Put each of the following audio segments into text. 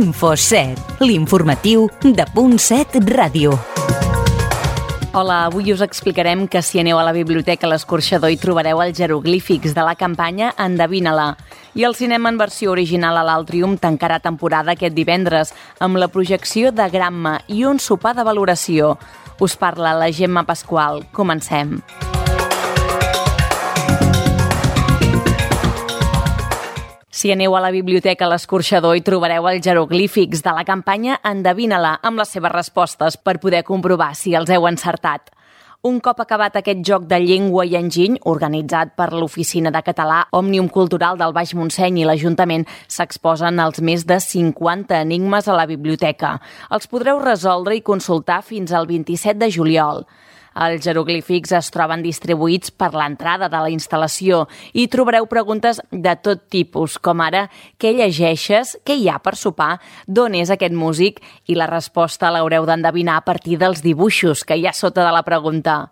Info7, l'informatiu de Punt7 Ràdio. Hola, avui us explicarem que si aneu a la biblioteca a l'Escorxador hi trobareu els jeroglífics de la campanya Endevina-la. I el cinema en versió original a l'Altrium tancarà temporada aquest divendres amb la projecció de Gramma i un sopar de valoració. Us parla la Gemma Pasqual. Comencem. Si aneu a la biblioteca a l'Escorxador hi trobareu els jeroglífics de la campanya Endevina-la amb les seves respostes per poder comprovar si els heu encertat. Un cop acabat aquest joc de llengua i enginy, organitzat per l'Oficina de Català Òmnium Cultural del Baix Montseny i l'Ajuntament, s'exposen els més de 50 enigmes a la biblioteca. Els podreu resoldre i consultar fins al 27 de juliol. Els jeroglífics es troben distribuïts per l'entrada de la instal·lació i trobareu preguntes de tot tipus, com ara què llegeixes, què hi ha per sopar, d'on és aquest músic, i la resposta l'haureu d'endevinar a partir dels dibuixos que hi ha sota de la pregunta.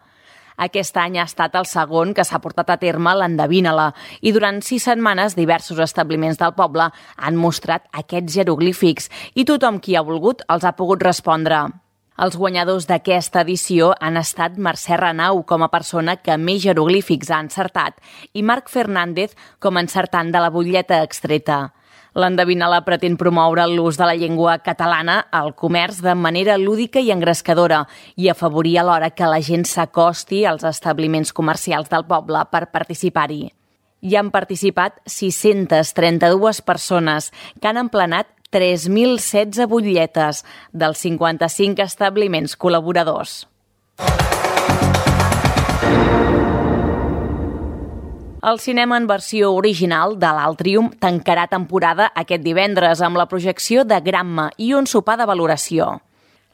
Aquest any ha estat el segon que s'ha portat a terme l'Endevina-la i durant 6 setmanes diversos establiments del poble han mostrat aquests jeroglífics i tothom qui ha volgut els ha pogut respondre. Els guanyadors d'aquesta edició han estat Mercè Renau com a persona que més jeroglífics ha encertat i Marc Fernández com a encertant de la butlleta extreta. L'Endevina-la pretén promoure l'ús de la llengua catalana al comerç de manera lúdica i engrescadora i afavorir alhora que la gent s'acosti als establiments comercials del poble per participar-hi. Hi han participat 632 persones que han emplenat 3.016 butlletes dels 55 establiments col·laboradors. El cinema en versió original de l'Altrium tancarà temporada aquest divendres amb la projecció de Gramma i un sopar de valoració.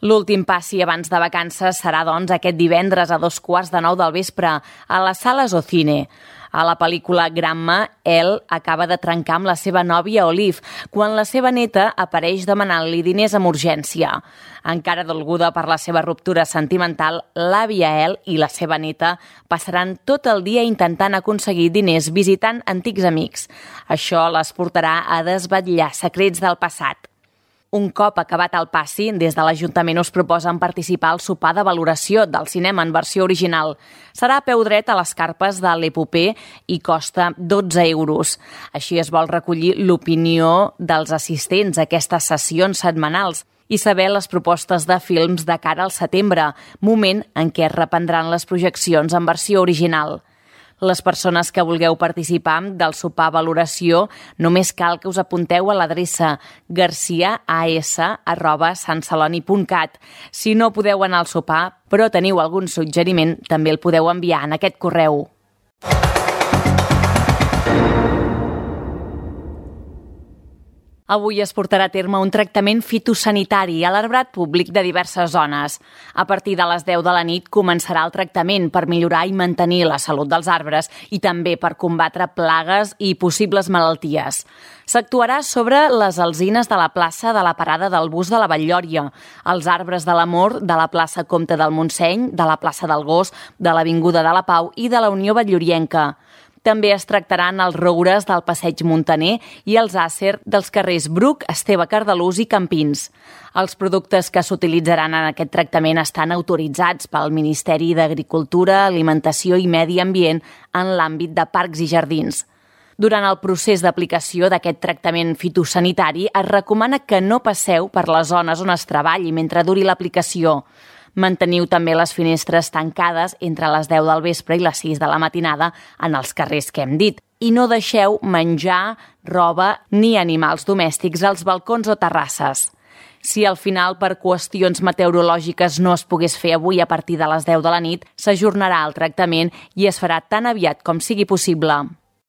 L'últim passi abans de vacances serà, doncs, aquest divendres a 8:45 del vespre a les sales Ocine. A la pel·lícula Gramma, Elle acaba de trencar amb la seva nòvia Olive quan la seva neta apareix demanant-li diners amb urgència. Encara dolguda per la seva ruptura sentimental, l'àvia Elle i la seva neta passaran tot el dia intentant aconseguir diners visitant antics amics. Això les portarà a desvetllar secrets del passat. Un cop acabat el passi, des de l'Ajuntament us proposen participar al sopar de valoració del cinema en versió original. Serà a peu dret a les carpes de l'Epopé i costa 12 euros. Així es vol recollir l'opinió dels assistents a aquestes sessions setmanals i saber les propostes de films de cara al setembre, moment en què es reprendran les projeccions en versió original. Les persones que vulgueu participar del sopar valoració només cal que us apunteu a l'adreça garciaas@santceloni.cat. Si no podeu anar al sopar, però teniu algun suggeriment, també el podeu enviar en aquest correu. Avui es portarà a terme un tractament fitosanitari a l'arbrat públic de diverses zones. A partir de les 10 de la nit començarà el tractament per millorar i mantenir la salut dels arbres i també per combatre plagues i possibles malalties. S'actuarà sobre les alzines de la plaça de la parada del bus de la Batllòria, els arbres de l'Amor de la plaça Comte del Montseny, de la plaça del Gos, de l'Avinguda de la Pau i de la Unió Batllorienca. També es tractaran els roures del Passeig Muntaner i els àcer dels carrers Bruc, Esteve Cardalús i Campins. Els productes que s'utilitzaran en aquest tractament estan autoritzats pel Ministeri d'Agricultura, Alimentació i Medi Ambient en l'àmbit de parcs i jardins. Durant el procés d'aplicació d'aquest tractament fitosanitari es recomana que no passeu per les zones on es treballi mentre duri l'aplicació. Manteniu també les finestres tancades entre les 10 del vespre i les 6 de la matinada en els carrers que hem dit. I no deixeu menjar, roba ni animals domèstics als balcons o terrasses. Si al final per qüestions meteorològiques no es pogués fer avui a partir de les 10 de la nit, s'ajornarà el tractament i es farà tan aviat com sigui possible.